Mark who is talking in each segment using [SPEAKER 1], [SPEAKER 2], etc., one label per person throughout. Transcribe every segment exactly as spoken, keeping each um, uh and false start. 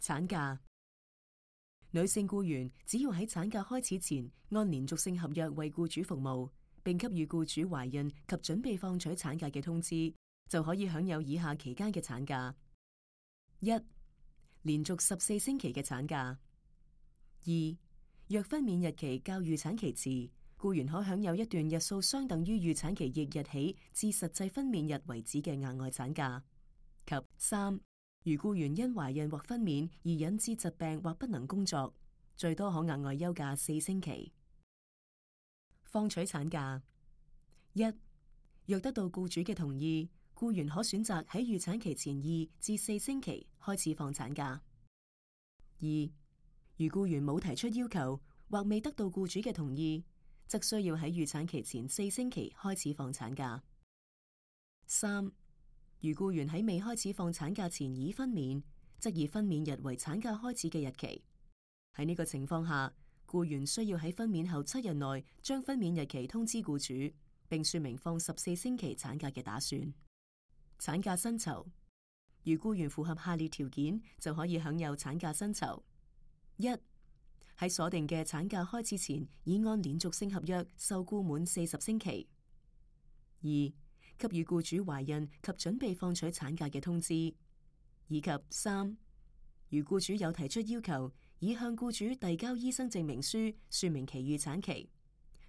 [SPEAKER 1] 產假。女性僱員只要喺產假開始前按連續性合約為僱主服務，並給予僱主懷孕及準備放取產假嘅通知，就可以享有以下期間嘅產假：一、連續十四星期嘅產假；二、若分娩日期較預產期遲，僱員可享有一段日數相等於預產期翌日起至實際分娩日為止嘅額外產假；及三、如僱員因懷孕或分娩而引致疾病或不能工作，最多可額外休假四星期。放取產假：一、若得到僱主嘅同意，僱員可選擇喺預產期前二至四星期開始放產假；二、如僱員冇提出要求或未得到僱主嘅同意，則需要喺預產期前四星期開始放產假；三、如僱員喺未開始放產假前已分娩，則以分娩日為產假開始嘅日期。喺呢個情況下，僱員需要喺分娩後七日內將分娩日期通知僱主，並說明放十四星期產假嘅打算。產假薪酬：如僱員符合下列條件，就可以享有產假薪酬：一、喺鎖定嘅產假開始前，已按連續性合約受僱滿四十星期；二、給予僱主懷孕及準備放取產假嘅通知；以及三、如僱主有提出要求，已向僱主遞交醫生證明書，說明其預產期，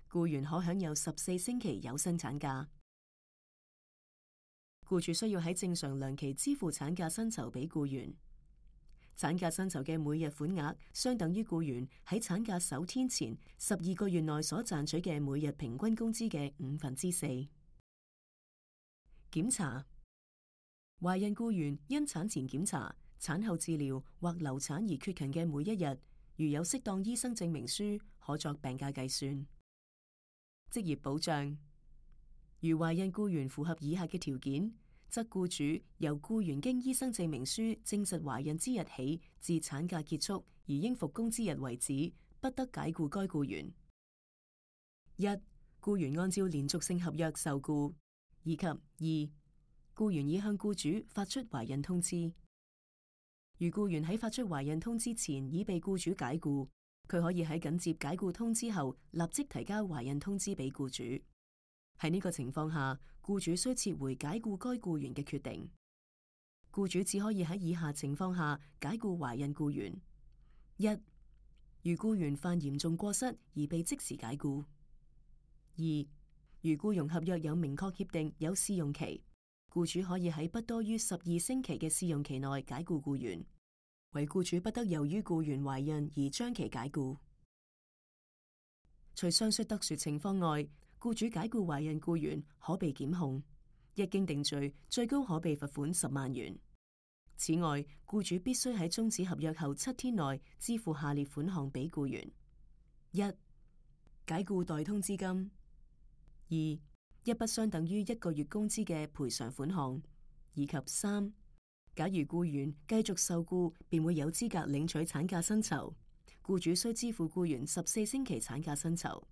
[SPEAKER 1] 僱員可享有十四星期有薪產假。僱主需要喺正常糧期支付產假薪酬俾僱員。產假薪酬嘅每日款額相等於僱員喺產假首天前十二個月內所賺取嘅每日平均工資嘅五分之四。檢查：懷孕僱員因產前檢查、產後治療或流產而缺勤嘅每一日，如有適當醫生證明書，可作病假計算。職業保障：如懷孕僱員符合以下嘅條件，則僱主由僱員經醫生證明書證實懷孕之日起至產假結束而應復工之日為止，不得解僱該僱員。一、僱員按照連續性合約受僱；以及二、僱員已向僱主發出懷孕通知。如僱員喺發出懷孕通知前已被僱主解僱，佢可以喺緊接解僱通知後立即提交懷孕通知俾僱主。喺呢個情況下，僱主需撤回解僱該僱員嘅決定。僱主只可以喺以下情況下解僱懷孕僱員：一、如僱員犯嚴重過失而被即時解僱；二、如僱傭合約有明確協定有試用期，僱主可以喺不多於十二星期嘅試用期內解僱僱員，為僱主不得由於僱員懷孕而將其解僱。除上述特殊情況外，僱主解僱懷孕僱員可被檢控，一經定罪，最高可被罰款十萬元。此外，僱主必須喺終止合約後七天內支付下列款項俾僱員：一、解僱代通知金；二、一筆相等於一個月工資嘅賠償款項；以及三、假如僱員繼續受僱，便會有資格領取產假薪酬，僱主需支付僱員十四星期產假薪酬。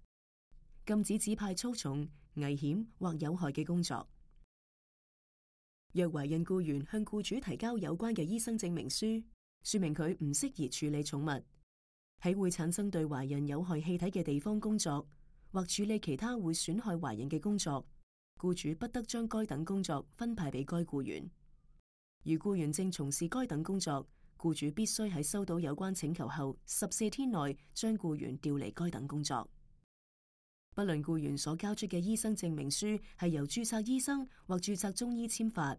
[SPEAKER 1] 禁止指派粗重、危險或有害嘅工作。若懷孕僱員向僱主提交有關嘅醫生證明書，說明佢唔適宜處理寵物，喺會產生對懷孕有害氣體嘅地方工作，或處理其他會損害懷孕嘅工作，僱主不得將該等工作分派俾該僱員。如僱員正從事該等工作，僱主必須喺收到有關請求後十四天內將僱員調離該等工作。不論僱員所交出嘅醫生證明書係由註冊醫生或註冊中醫簽發，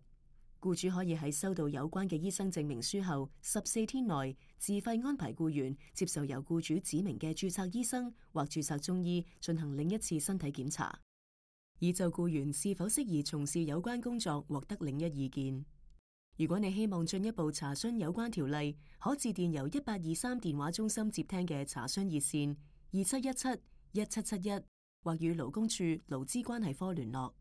[SPEAKER 1] 僱主可以喺收到有關嘅醫生證明書後十四天內自費安排僱員接受由僱主指明嘅註冊醫生或註冊中醫進行另一次身體檢查，以就僱員是否適宜從事有關工作獲得另一意見。如果你希望進一步查詢有關條例，可致電由一八二三電話中心接聽嘅查詢熱線二七一七一七七一，或與勞工處勞資關係科聯絡。